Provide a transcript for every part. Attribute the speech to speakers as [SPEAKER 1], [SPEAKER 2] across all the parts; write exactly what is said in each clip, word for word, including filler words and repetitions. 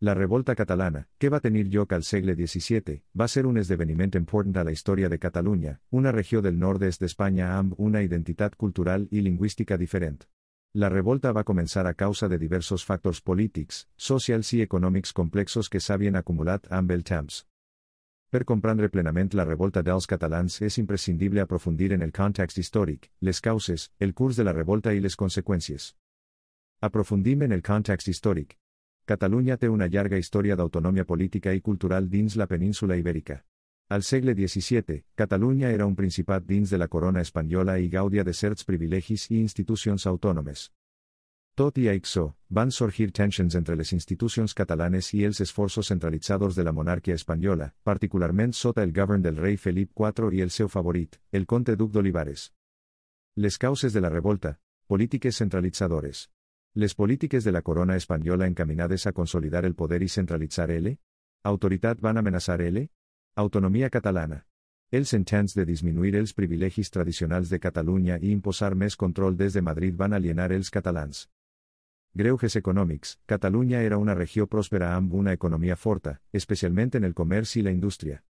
[SPEAKER 1] La revolta catalana, que va tenir lloc al segle disset, va ser un esdeveniment important a la història de Catalunya, una regió del nord-est d'Espanya amb una identitat cultural i lingüística diferent. La revolta va començar a causa de diversos factors polítics, socials i econòmics complexos que s'havien acumulat amb el temps. Per comprendre plenament la revolta dels catalans és imprescindible aprofundir en el context històric, les causes, el curs de la revolta i les conseqüències. Aprofundim en el context històric. Catalunya té una llarga història d'autonomia política i cultural dins la península ibèrica. Al segle disset, Catalunya era un principat dins de la corona espanyola i gaudia de certs privilegis i institucions autònomes. Tot i això, van sorgir tensions entre les institucions catalanes i els esforços centralitzadors de la monarquia espanyola, particularment sota el govern del rei Felip quatre i el seu favorit, el comte duc d'Olivares. Les causes de la revolta: polítiques centralitzadores. Les polítiques de la corona espanyola encaminades a consolidar el poder i centralitzar L. Autoritat van amenaçar L. Autonomia catalana. Els intents de disminuir els privilegis tradicionals de Catalunya i imposar més control des de Madrid van alienar els catalans. Greuges econòmics. Catalunya era una regió pròspera amb una economia forta, especialment en el comerç i la indústria.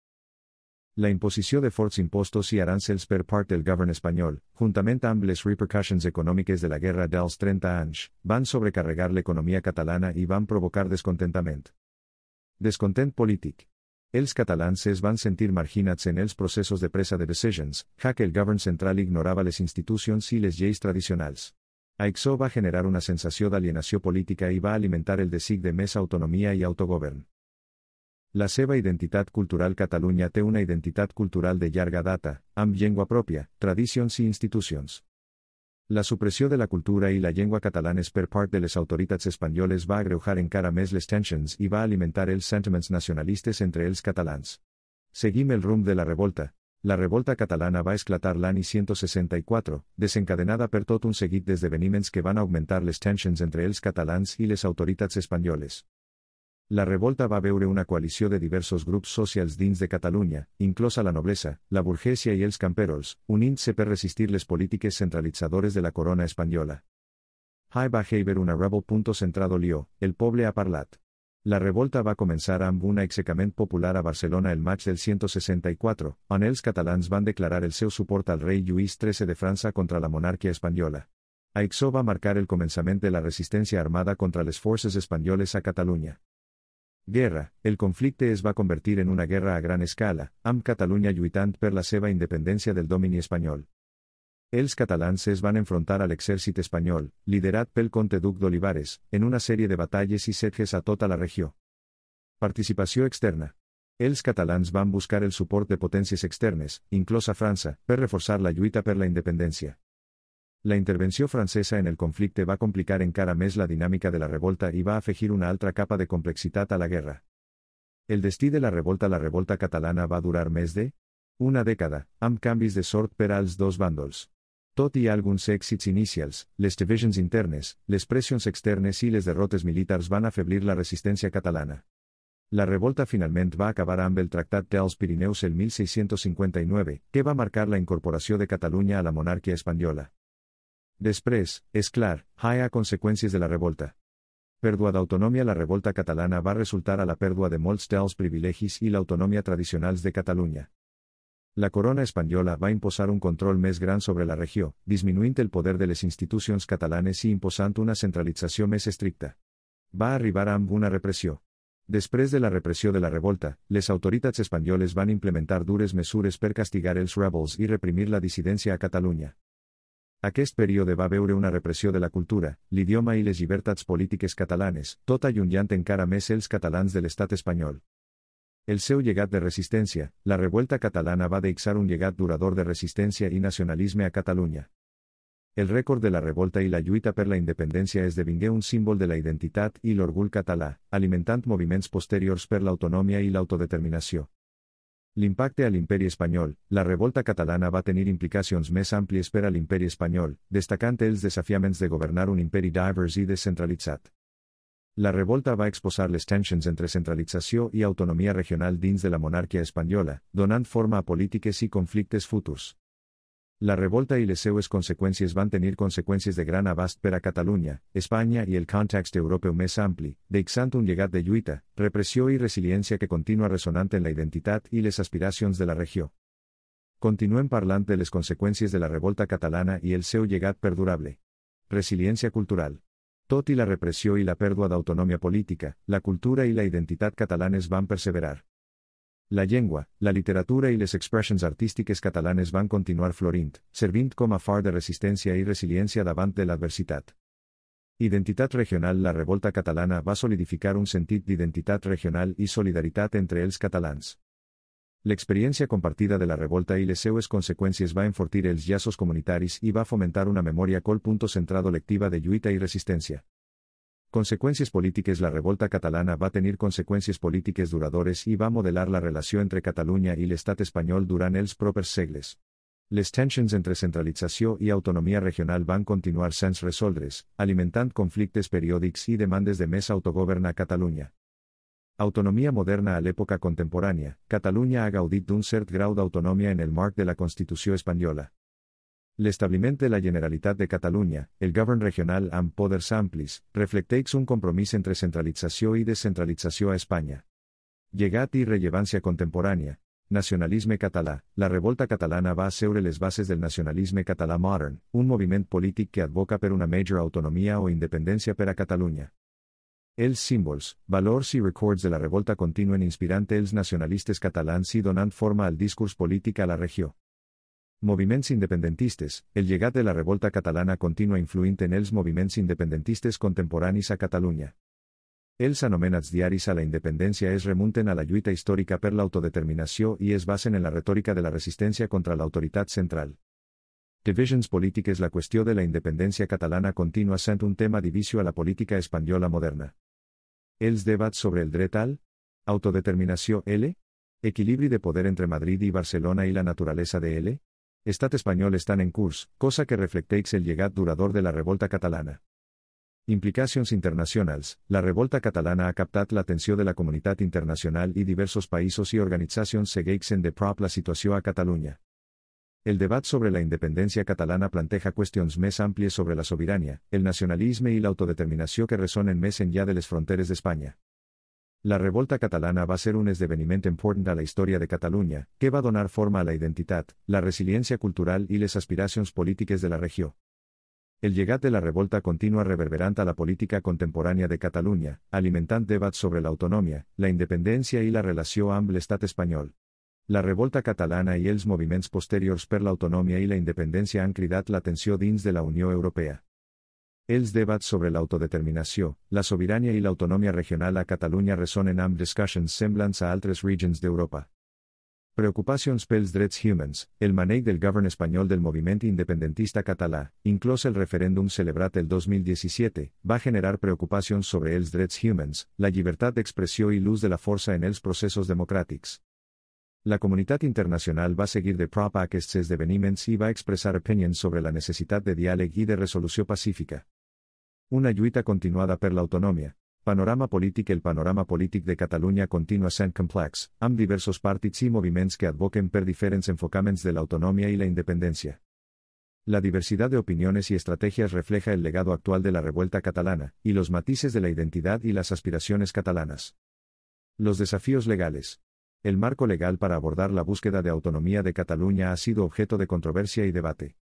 [SPEAKER 1] La imposició de forts impostos i aranzels per part del govern espanyol, juntament amb les repercussions econòmiques de la Guerra dels trenta anys, van sobrecarregar l'economia catalana i van provocar descontentament. Descontent polític. Els catalans es van sentir marginats en els processos de presa de decisions, ja que el govern central ignorava les institucions i les lleis tradicionals. Això va generar una sensació d'alienació política i va alimentar el desig de més autonomia i autogovern. La seva identitat cultural. Catalunya té una identitat cultural de llarga data, amb llengua pròpia, tradicions i institucions. La supressió de la cultura i la llengua catalanes per part de les autoritats espanyoles va agreujar encara més les tensions i va alimentar els sentiments nacionalistes entre els catalans. Seguim el rumb de la revolta. La revolta catalana va esclatar l'any cent seixanta-quatre, desencadenada per tot un seguit d'esdeveniments que van augmentar les tensions entre els catalans i les autoritats espanyoles. La revolta va veure una coalició de diversos grups socials dins de Catalunya, inclosa la noblesa, la burgesia i els camperols, unint-se per resistir les polítiques centralitzadores de la corona espanyola. Hi va haver una rebel. Centrado Lió, el poble ha parlat. La revolta va començar amb un aixecament popular a Barcelona el maig del cent seixanta-quatre, on els catalans van declarar el seu suport al rei Lluís tretze de França contra la monarquia espanyola. Això va marcar el començament de la resistència armada contra les forces espanyoles a Catalunya. Guerra. El conflicte es va convertir en una guerra a gran escala, amb Catalunya lluitant per la seva independència del domini espanyol. Els catalans es van enfrontar a l'exèrcit espanyol, liderat pel comte duc d'Olivares, en una sèrie de batalles i setges a tota la regió. Participació externa. Els catalans van buscar el suport de potències externes, inclosa França, per reforçar la lluita per la independència. La intervenció francesa en el conflicte va complicar encara més la dinàmica de la revolta i va afegir una altra capa de complexitat a la guerra. El destí de la revolta. La revolta catalana va durar més de una dècada, amb canvis de sort per als dos bàndols. Tot i alguns èxits inicials, les divisions internes, les pressions externes i les derrotes militars van afeblir la resistència catalana. La revolta finalment va acabar amb el Tractat dels Pirineus el mil sis-cents cinquanta-nou, que va marcar la incorporació de Catalunya a la monarquia espanyola. Després, és clar, hi ha conseqüències de la revolta. Pèrdua d'autonomia. La revolta catalana va resultar a la pèrdua de molts dels privilegis i l'autonomia tradicionals de Catalunya. La corona espanyola va imposar un control més gran sobre la regió, disminuint el poder de les institucions catalanes i imposant una centralització més estricta. Va arribar amb una repressió. Després de la repressió de la revolta, les autoritats espanyoles van implementar dures mesures per castigar els rebels i reprimir la dissidència a Catalunya. Aquest període va veure una repressió de la cultura, l'idioma i les llibertats polítiques catalanes, tot allunyant encara més els catalans de l'estat espanyol. El seu llegat de resistència. La revolta catalana va deixar un llegat durador de resistència i nacionalisme a Catalunya. El rècord de la revolta i la lluita per la independència esdevingué un símbol de la identitat i l'orgull català, alimentant moviments posteriors per l'autonomia i l'autodeterminació. L'impacte a l'imperi espanyol. La revolta catalana va tenir implicacions més àmplies per a l'imperi espanyol, destacant els desafiaments de governar un imperi divers i descentralitzat. La revolta va exposar les tensions entre centralització i autonomia regional dins de la monarquia espanyola, donant forma a polítiques i conflictes futurs. La revolta i les seues conseqüències van tenir conseqüències de gran abast per a Catalunya, Espanya i el context europeu més ampli, deixant un llegat de lluita, repressió i resiliència que continua ressonant en la identitat i les aspiracions de la regió. Continuem parlant de les conseqüències de la revolta catalana i el seu llegat perdurable. Resiliència cultural. Tot i la repressió i la pèrdua d'autonomia política, la cultura i la identitat catalanes van perseverar. La llengua, la literatura i les expressions artístiques catalanes van continuar florint, servint com a far de resistència i resiliència davant de l'adversitat. Identitat regional. La revolta catalana va solidificar un sentit d'identitat regional i solidaritat entre els catalans. L'experiència compartida de la revolta i les seues conseqüències va enfortir els llaços comunitaris i va fomentar una memòria col punto centrado lectiva de lluita i resistència. Conseqüències polítiques. La revolta catalana va tenir conseqüències polítiques duradores i va modelar la relació entre Catalunya i l'estat espanyol durant els propers segles. Les tensions entre centralització i autonomia regional van continuar sense resoldre's, alimentant conflictes periòdics i demandes de més autogovern a Catalunya. Autonomia moderna. A l'època contemporània, Catalunya ha gaudit d'un cert grau d'autonomia en el marc de la Constitució espanyola. L'establiment de la Generalitat de Catalunya, el govern regional amb poders amplis, reflecteix un compromís entre centralització i descentralització a Espanya. Llegat i rellevància contemporània. Nacionalisme català. La revolta catalana va asseure les bases del nacionalisme català modern, un moviment polític que advoca per una major autonomia o independència per a Catalunya. Els símbols, valors i records de la revolta continuen inspirant els nacionalistes catalans i donant forma al discurs polític a la regió. Moviments independentistes. El llegat de la revolta catalana continua influint en els moviments independentistes contemporanis a Catalunya. Els anomenats diaris a la independència es remunten a la lluita històrica per l'autodeterminació i es basen en la retòrica de la resistència contra l'autoritat central. Divisions polítiques. La qüestió de la independència catalana continua sent un tema divisió a la política espanyola moderna. Els debats sobre el dret al autodeterminació L, equilibri de poder entre Madrid i Barcelona i la naturalesa de L, Estat espanyol estan en curs, cosa que reflecteix el llegat durador de la revolta catalana. Implicacions internacionals. La revolta catalana ha captat l'atenció de la comunitat internacional i diversos països i organitzacions segueixen de prop la situació a Catalunya. El debat sobre la independència catalana planteja qüestions més àmplies sobre la sobirania, el nacionalisme i l'autodeterminació que ressonen més enllà de les fronteres d'Espanya. La revolta catalana va ser un esdeveniment important a la història de Catalunya, que va donar forma a la identitat, la resiliència cultural i les aspiracions polítiques de la regió. El llegat de la revolta continua reverberant a la política contemporània de Catalunya, alimentant debats sobre l'autonòmia, la independència i la relació amb l'estat espanyol. La revolta catalana i els moviments posteriors per l'autonòmia i la independència han cridat l'atenció dins de la Unió Europea. Els debats sobre l'autodeterminació, la sobirania i l'autonòmia regional a Catalunya ressonen amb discussions semblants a altres regions d'Europa. Preocupacions pels drets humans. El maneig del govern espanyol del moviment independentista català, inclòs el referèndum celebrat el dos mil disset, va generar preocupacions sobre els drets humans, la llibertat d'expressió i l'ús de la força en els processos democràtics. La comunitat internacional va seguir de prop a aquests esdeveniments i va expressar opinions sobre la necessitat de diàleg i de resolució pacífica. Una lluita continuada per l'autonòmia. Panorama polític. El panorama polític de Catalunya continua sent complex, amb diversos partits i moviments que advoquen per diferents enfocaments de l'autonòmia i la independència. La diversidad de opiniones y estrategias refleja el legado actual de la revuelta catalana, y los matices de la identidad y las aspiraciones catalanas. Los desafíos legales. El marco legal para abordar la búsqueda de autonomía de Cataluña ha sido objeto de controversia y debate.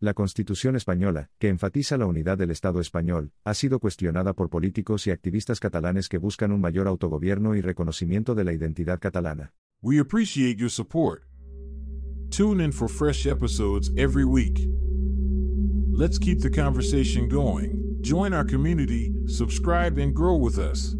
[SPEAKER 1] La Constitución española, que enfatiza la unidad del Estado español, ha sido cuestionada por políticos y activistas catalanes que buscan un mayor autogobierno y reconocimiento de la identidad catalana.
[SPEAKER 2] We appreciate your support. Tune in for fresh episodes every week. Let's keep the conversation going. Join our community, subscribe, and grow with us.